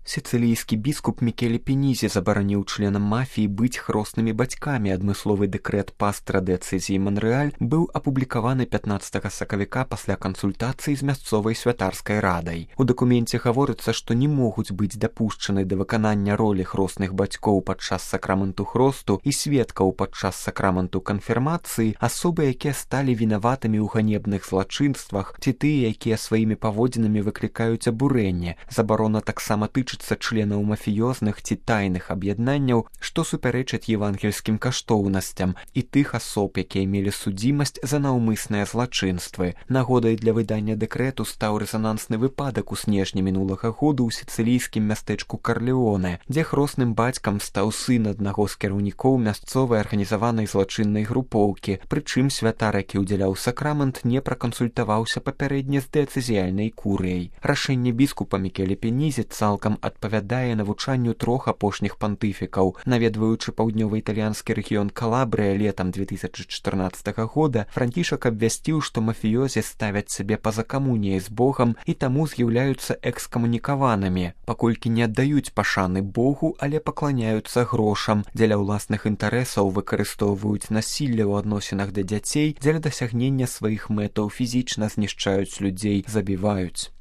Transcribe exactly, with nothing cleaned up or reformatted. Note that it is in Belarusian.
Сіцылійскі біскуп Мікеле Пенізі забараніў членам мафіі быць хроснымі бацькамі. Адмысловы дэкрэт пастра дыяцэзіі Манрэаль быў апублікаваны пятнаццатага сакавіка пасля кансультацыі з мясцовай святарскай радай. У дакуменце гаворыцца, што не могуць быць дапушчаны да выканання ролі хросных бацькоў падчас сакраменту хросту і сведкаў падчас сакраменту канфірмацыі асобы, якія сталі вінаватымі ў ганебных злачынствах, ці тыя, якія сваімі паводзінамі выклікаюць абурэнне. Забарона таксама тычыцца членаў мафіёзных ці тайных аб'яднанняў, што супярэчаць евангельскім каштоўнасцям, і тых асоб, якія мелі судзімасць за наўмысныя злачынствы. Нагодай для выдання дэкрэту стаў рэзанансны выпадак у снежні мінулага году ў сіцылійскім мястэчку Карлеоне, дзе хросным бацькам стаў сын аднаго з кіраўнікоў мясцовай арганізаванай злачыннай групоўкі, прычым святар, які ўдзяляў сакрамент, не пракансультаваўся папярэдне з дыяцэзіяльнай курыяй. Рашэнне біскупа Мікеле Пенізі цалкам адпавядае навучанню трох апошніх пантыфікаў. Наведваючы паўднёва-італьянскі рэгіён Калабрыя летам две тысячы чатырнаццатага года, Францішак абвясціў, што мафіёзі ставяць сябе па-за камуніяй з Богам і таму з'яўляюцца экскамунікаванымі, паколькі не аддаюць пашаны Богу, але пакланяюцца грошам, дзеля ўласных інтарэсаў выкарыстоўваюць насілле ў адносінах да дзяцей, дзеля дасягнення сваіх мэтаў фізічна знішчаюць людзей, забіваюць.